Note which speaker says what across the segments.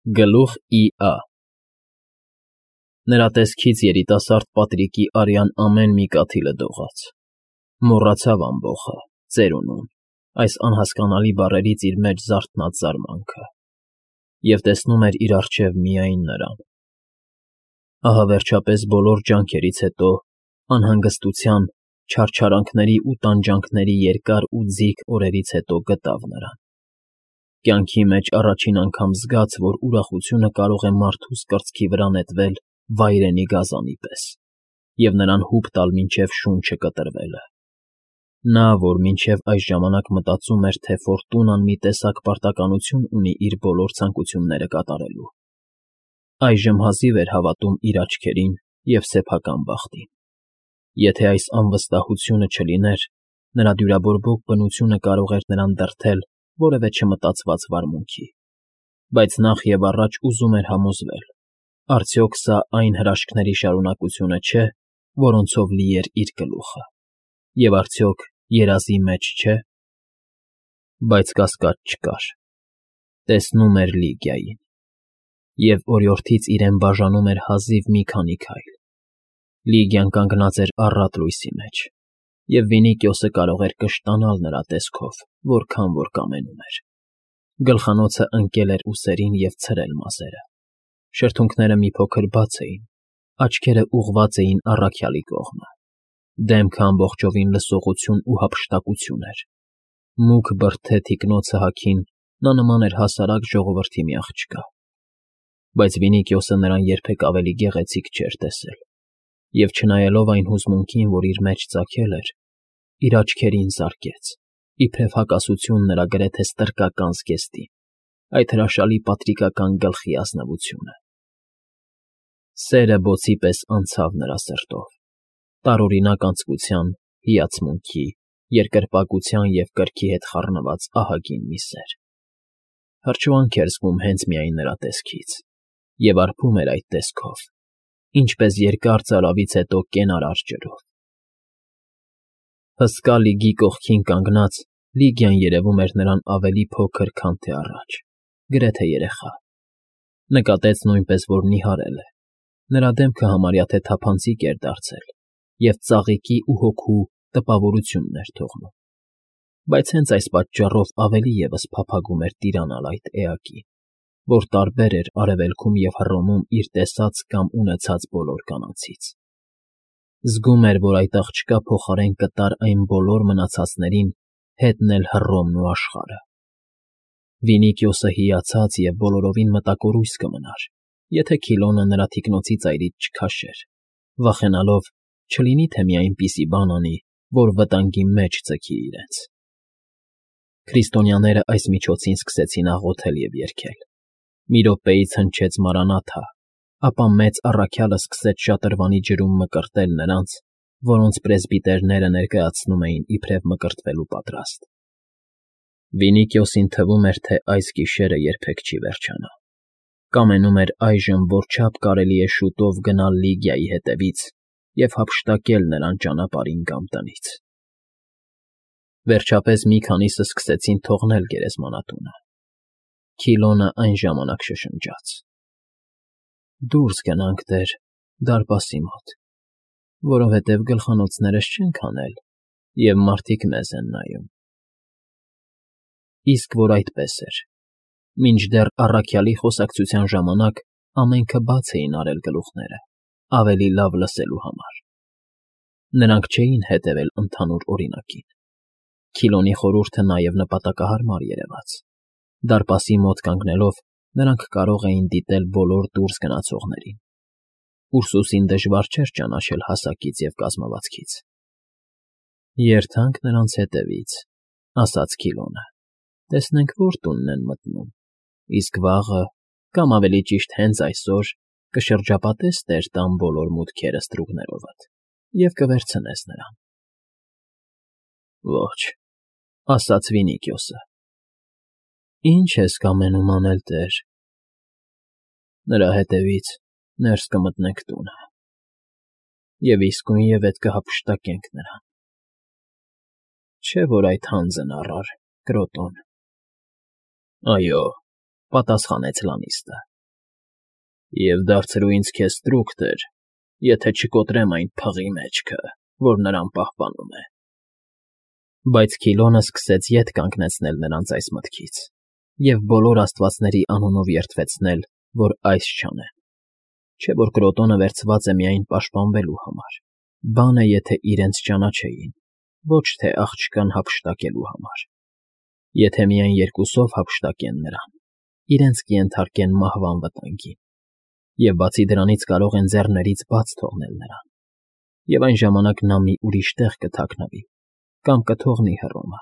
Speaker 1: Գլուխ Ի.Ա. Նրա տեսքից երիտասարդ Պատրիկի արյան ամեն մի կաթիլը դողաց, մոռացավ ամբոխը, ծերունուն, այս անհասկանալի բառերից իր մեջ զարթնած զարմանքը, և տեսնում էր իր առջև միայն նրան. ահա վերջապես բոլոր ջանքերից հետո, անհանգստության, չարչարանքների ու տանջանքների երկար ու ձիգ օրերից հետո գտավ նրան, կյանքի մեջ առաջին անգամ զգաց, որ ուրախությունը կարող է մարդուս կրծքի վրա նետվել վայրենի գազանի պես և նրան հուպ տալ մինչև շունչը կտրվելը, նա, որ մինչև այս ժամանակ մտածում էր, թե Ֆորտունան մի տեսակ պարտականություն ունի իր բոլոր ցանկությունները կատարելու, այժմ հազիվ էր հավատում իր աչքերին և սեփական բախտին, եթե այս անվստահությունը չլիներ, նրա դյուրաբորբոք բնությունը կարող էր նրան դրդել որևէ չմտածված վարմունքի, բայց նախ և առաջ ուզում էր համոզվել. արդյոք սա այն հրաշքների շարունակությունը չէ, որոնցով լի էր իր գլուխը, և արդյոք երազի մեջ չէ, բայց կասկած չկար. տեսնում էր Լիգիային, և օրիորդից իրեն բաժանում էր հազիվ մի քանի քայլ, Լիգիան կանգնած էր առատ լույսի մեջ, և Վինիկիոսը կարող էր կշտանալ նրա տեսքով, որքան որ կամենում էր, գլխանոցը ընկել էր ուսերին և ցրել մազերը, շրթունքները մի փոքր բաց էին, աչքերը ուղղված էին առաքյալի կողմը, դեմքը ամբողջովին լսողություն ու հափշտակություն էր, մուգ բրդե թիկնոցը հագին նա նման էր հասարակ ժողովրդի մի աղջկա, բայց Վինիկիոսը նրան երբեք ավելի գեղեցիկ չէր տեսել, և չնայելով այն հուզմունքին, որ իր մեջ ծագել էր, իր աչքերին զարկեց, իբրև հակասություն նրա գրեթե ստրկական զգեստին, այդ հրաշալի պատրիկական գլխի ազնվությունը. սերը բոցի պես անցավ նրա սրտով, տարօրինակ անձկության, հիացմունքի, երկրպագության և կրքի հետ խառնված ահագին մի սեր, հրճվանք էր զգում հենց միայն նրա տեսքից, և արբում էր այդ տեսքով, ինչպես երկար ծարավից հետո կենարար ջրով, հսկա Լիգի կողքին կանգնած, Լիգիան երևում էր նրան ավելի փոքր, քան թե առաջ, գրեթե երեխա, նկատեց նույնպես, որ նիհարել է, նրա դեմքը համարյա թե թափանցիկ էր դարձել և ծաղիկի ու հոգու տպավորությունն էր թողնում, բայց հենց այս պատճառով ավելի ևս փափագում էր տիրանալ այդ էակին, որ տարբեր էր Արևելքում և Հռոմում իր տեսած կամ ունեցած բոլոր կանանցից, զգում էր, որ այդ աղջկա փոխարեն կտար այն բոլոր մնացածներին հետն էլ Հռոմն ու աշխարհը, Վինիկիոսը հիացած և բոլորովին մտակորույս կմնար, եթե Քիլոնը նրա թիկնոցի ծայրից չքաշեր, վախենալով, չլինի թե մի այնպիսի բան անի, որ վտանգի մեջ ձգի իրենց, քրիստոնյաները այս միջոցին սկսեցին աղոթել և երգել, մի րոպեից հնչեց «Մարանաթա», ապա մեծ առաքյալը սկսեց շատրվանի ջրում մկրտել նրանց, որոնց պրեսբիտերները ներկայացնում էին իբրև մկրտվելու պատրաստ, Վինիկիոսին թվում էր, թե այս գիշերը երբեք չի վերջանա, կամենում էր այժմ, որչափ կարելի է շուտով գնալ Լիգիայի հետևից և հափշտակել նրան ճանապարհին կամ տնից, վերջապես մի քանիսը սկսեցին թողնել գերեզմանատունը, Քիլոնը այն ժամանակ շշնջաց. «Դուրս գնանք, տեր, դարպասի մոտ, որովհետև գլխանոցներս չենք հանել, և մարդիկ մեզ են նայում»։ Իսկ որ այդպես էր, մինչդեռ առաքյալի խոսակցության ժամանակ ամենքը բաց էին արել գլուխները, ավելի լավ լսելու համար, նրանք չէին հետևել ընդհանուր օրինակին, Քիլոնի խորհուրդը նաև նպատակահարմար երևաց, դարպասի մոտ կանգնելով նրանք կարող էին դիտել բոլոր դուրս գնացողներին, Ուրսուսին դժվար չէր ճանաչել հասակից և կազմվածքից։ «Երթանք նրանց հետևից», ասաց Քիլոնը, «տեսնենք որ տունն են մտնում, իսկ վաղը, կամ ավելի ճիշտ հենց այսօր, կշրջապատես տեր տան բոլոր մուտքերը ստրուկներովդ և կվերցնես նրան»։ «Ոչ», ասաց Վինիկիոսը։ «Ի՞նչ ես կամենում անել, տեր»։ «Նրա հետևից ներս կմտնենք տունը և իսկույնևեթ կհափշտակենք նրան»։ «Չէ՞ որ այդ հանձն առար, Կրոտոն»։ «Այո», պատասխանեց Լանիստը։ Եվ դարձրու ինձ քեզ ստրուկտեր, եթե չկոտրեմ այն փղի մեջքը, որ նրան պահպանում է։ Բայց Քիլոնը սկսեց ետ կանգնեցնել նրանց այս մտքից և բոլոր աստվածների անունով երդվեցնել, որ այս չանեն։ Չէ՞ որ Կրոտոնը վերցված է միայն պաշտպանվելու համար, բան է, եթե իրենց ճանաչեին, ոչ թե աղջկան հափշտակելու համար։ Եթե միայն երկուսով հափշտակեն նրան, իրենց կենթարկեն մահվան վտանգին, և բացի դրանից կարող են ձեռներից բաց թողնել նրան, և այն ժամանակ նա մի ուրիշ տեղ կթաքնվի կամ կթողնի Հռոմը,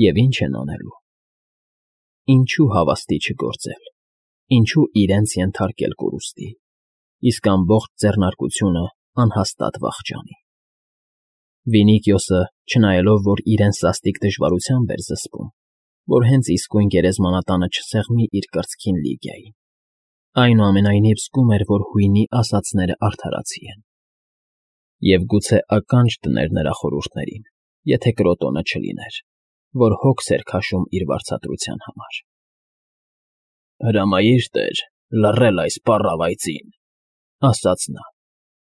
Speaker 1: և ինչ են անելու։ Ինչու հավաստի չգործել, ինչու իրենց ենթարկել կորուստի, իսկ ամբողջ ձեռնարկությունը անհաստատ վախճանի։ Վինիկիոսը, չնայելով, որ իրեն սաստիկ դժվարությամբ էր զսպում, որ հենց իսկույն գերեզմանատանը չսեղմի իր կրծքին Լիգիային, այնուամենայնիվ զգում էր, որ հույնի ասածները արդարացի են։ Եվ գուցե ականջ դներ նրա խորհուրդներին, եթե Կրոտոնը չլիներ, որ հոգս էր քաշում իր վարձատրության համար։ «Հրամայիր, տեր, լռել այս պառավայծին», ասաց նա,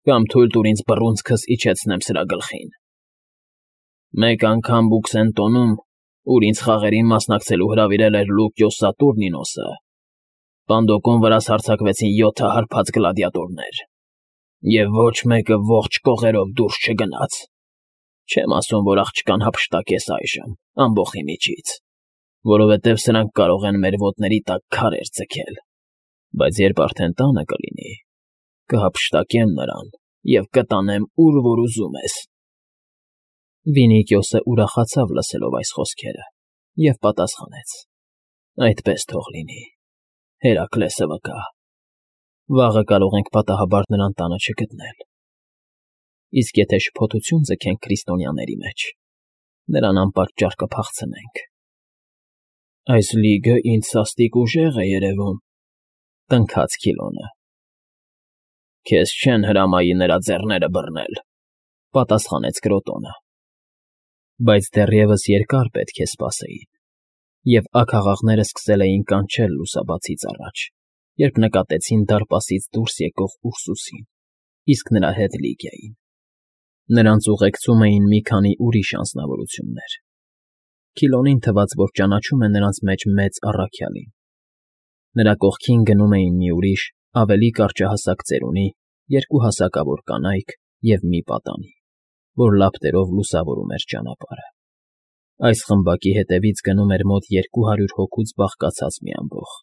Speaker 1: «կամ թույլ տուր ինձ բռունցքս իջեցնեմ սրա գլխին։ Մեկ անգամ Բուքսենտոնում, ուր ինձ խաղերին մասնակցելու հրավիրել էր Լուկիոս Սատուրնինոսը, Պանդոկոն վրաս հարձակվեցին 7 հարբած գլադիատորներ, և ոչ մեկը ողջ կողերով դուրս չգնաց։ Չեմ ասում, որ աղջկան հափշտակես այժմ, ամբոխի միջից, որովհետև սրանք կարող են մեր ոտների տակ քարեր ձգել, բայց երբ արդեն տանը կլինի, կհափշտակեմ նրան և կտանեմ, ուր որ ուզում ես»։ Վինիկիոսը ուրախացավ լսելով այս խոսքերը և պատասխանեց. «Այդպես թող լինի, Հերակլեսը վկա, վաղը կարող ենք պատահաբար նրան տանը չգտնել։ Իսկ եթե շփոթություն ձգենք քրիստոնյաների մեջ, նրան անպատճառ կփախցնենք»։ «Այս լիգը ինձ սաստիկ ուժեղ է երևում», տնքաց Քիլոնը։ «Քեզ չեն հրամայի նրա ձեռները բռնել», պատասխանեց Կրոտոնը։ Բայց դեռևս երկար պետք է սպասեին, և աքաղաղները սկսել էին կանչել լուսաբացից առաջ, երբ նկատեցին դարպասից դուրս եկող Ուրսուսին, իսկ նրա հետ Լիգիային։ Նրանց ուղեկցում էին մի քանի ուրիշ անձնավորություններ։ Քիլոնին թվաց, որ ճանաչում է նրանց մեջ մեծ առաքյալին։ Նրա կողքին գնում էին մի ուրիշ, ավելի կարճահասակ ծերունի, 2 հասակավոր կանայք և մի պատանի, որ լապտերով լուսավորում էր ճանապարհը։ Այս խմբակի հետևից գնում էր մոտ 200 հոգուց բաղկացած մի ամբոխ։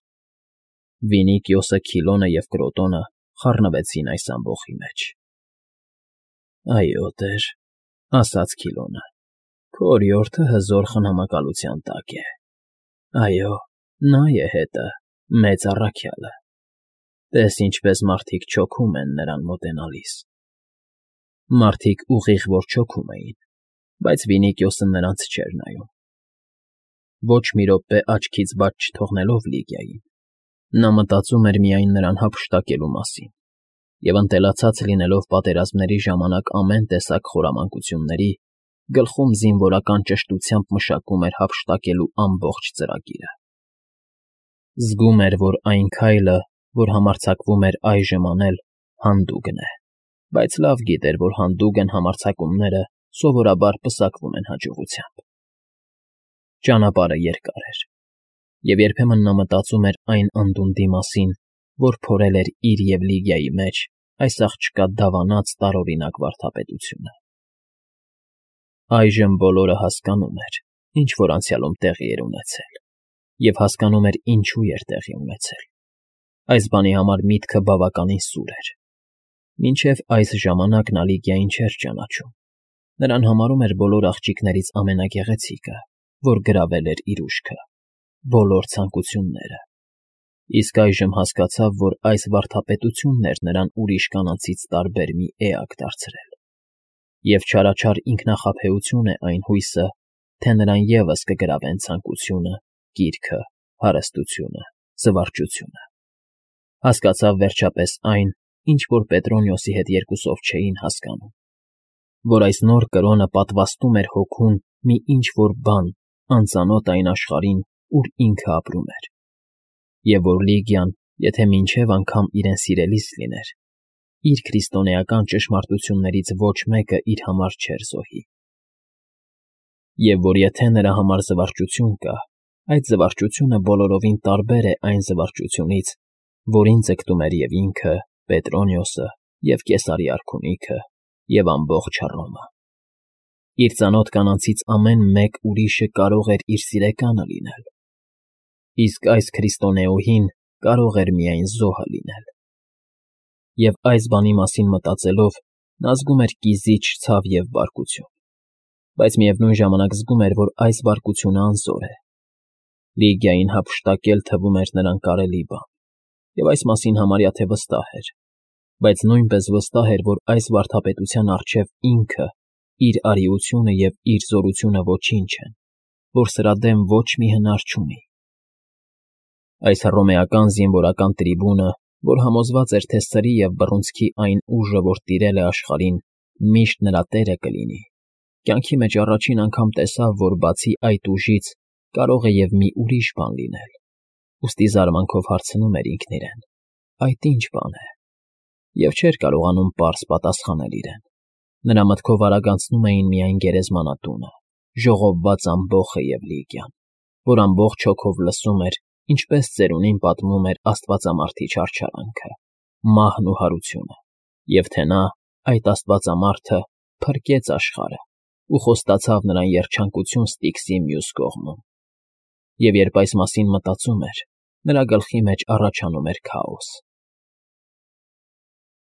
Speaker 1: Վինիկիոսը, Քիլոնը և Կրոտոնը խառնվեցին այս ամբոխի մեջ։ «Այո, տեր», ասաց Քիլոնը, «քո օրիորդը հզոր խնամակալության տակ է։ Այո, նա է հետը, մեծ առաքյալը։ Տես ինչպես մարդիկ չոքում են նրան մոտենալիս»։ Մարդիկ ուղիղ որ չոքում էին, բայց Վինիկիոսը նրանց չէր նայում։ Ոչ մի րոպե աչքից բաց չթողնելով Լիգիային, նա մտածում էր միայն նրան հափշտակելու մասին և ընտելացած լինելով պատերազմների ժամանակ ամեն տեսակ խորամանկությունների, գլխում զինվորական ճշտությամբ մշակում էր հափշտակելու ամբողջ ծրագիրը։ Զգում էր, որ այն քայլը, որ համարձակվում էր այժմ անել, հանդուգն է, բայց լավ գիտեր, որ հանդուգն համարձակումները սովորաբար պսակվում են հաջողությամբ։ Ճանապարհը երկար էր, և երբեմն նա մտածում էր այն անդունդի մասին, որ փորել էր իր և Լիգիայի մեջ այս աղջկա դավանած տարօրինակ վարդապետությունը։ Այժմ բոլորը հասկանում էր, ինչ որ անցյալում տեղի էր ունեցել, և հասկանում էր ինչու էր տեղի ունեցել։ Այս բանի համար միտքը բավականին սուր էր։ Մինչև այս ժամանակ նա Լիգիային չէր ճանաչում, նրան համարում էր բոլոր աղջիկներից ամենագեղեցիկը, որ գրավել էր իր ուշքը, բոլոր ցանկությունները։ Իսկ այժմ հասկացավ, որ այս վարդապետությունն էր նրան ուրիշ կանանցից տարբեր մի էակ դարձրել։ Եվ չարաչար ինքնախաբեություն է այն հույսը, թե նրան ևս կգրավեն ցանկությունը, կիրքը, հարստությունը, զվարճությունը։ Հասկացավ վերջապես այն, ինչ որ Պետրոնիոսի հետ երկուսով չէին հասկանում, որ այս նոր կրոնը պատվաստում էր հոգուն մի ինչ-որ բան անծանոթ այն աշխարհին, ուր ինքը ապրում էր, և որ Լիգիան եթե մինչև անգամ իրեն սիրելիս լիներ, իր քրիստոնեական ճշմարտություններից ոչ մեկը իր համար չէր զոհի։ Եվ որ եթե նրա համար զվարճություն կա, այդ զվարճությունը բոլորովին տարբեր է այն զվարճությունից, որին ձգտում էր և ինքը, Պետրոնիոսը, և Կեսարի արքունիքը, և ամբողջ Հռոմը։ Իր ծանոթ կանանցից ամեն մեկ ուրիշը կարող էր իր սիրեկանը լինել, իսկ այս քրիստոնեուհին կարող էր միայն զոհը լինել։ Եվ այս բանի մասին մտածելով, նա զգում էր կիզիչ ցավ և բարկություն, բայց միևնույն ժամանակ զգում էր, որ այս բարկությունը անզոր է։ Լիգիային հափշտակել թվում էր նրան կարելի բան, և այս մասին համարյա թե վստահ էր, բայց նույնպես վստահ էր, որ այս վարդապետության առջև ինքը, իր արիությունը և իր զորությունը ոչինչ են, որ սրա դեմ ոչ մի հնար չունի։ Այս հռոմեական զինվորական տրիբունը, որ համոզված էր, թե սրի և բռունցքի այն ուժը, որ տիրել է աշխարհին, միշտ նրա տերը կլինի, կյանքի մեջ առաջին անգամ տեսավ, որ բացի այդ ուժից կարող է և մի ուրիշ բան լինել, ուստի զարմանքով հարցնում էր ինքն իրեն. այդ ի՞նչ բան է, և չէր կարողանում պարզ պատասխանել իրեն։ Նրա մտքով արագանցնում էին միայն գերեզմանատունը, ժողովված ամբոխը և Լիգիան, որ ամբողջ հոգով լսում էր, ինչպես ծերունին պատմում էր աստվածամարդի չարչարանքը, մահն ու հարությունը, և թե նա, այդ աստվածամարդը, փրկեց աշխարհը ու խոստացավ նրան երջանկություն Ստիքսի մյուս կողմում։ Եվ երբ այս մասին մտածում էր, նրա գլխի մեջ առաջանում էր քաոս։